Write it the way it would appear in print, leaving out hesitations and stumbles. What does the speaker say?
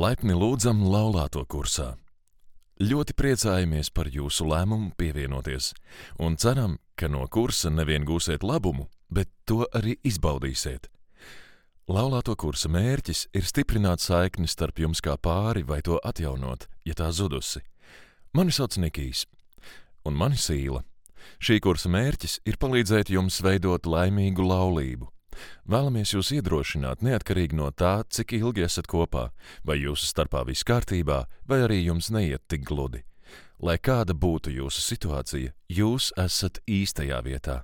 Laipni lūdzam laulāto kursā. Ļoti priecājamies par jūsu lēmumu pievienoties un ceram, ka no kursa nevien gūsiet labumu, bet to arī izbaudīsiet. Laulāto kursa mērķis ir stiprināt saikni starp jums kā pāri vai to atjaunot, ja tā zudusi. Mani sauc Nikijs, un mani Sīla. Šī kursa mērķis ir palīdzēt jums veidot laimīgu laulību. Vēlamies jūs iedrošināt neatkarīgi no tā, cik ilgi esat kopā, vai jūsu starpā viss kārtībā, vai arī jums neiet tik gludi. Lai kāda būtu jūsu situācija, jūs esat īstajā vietā.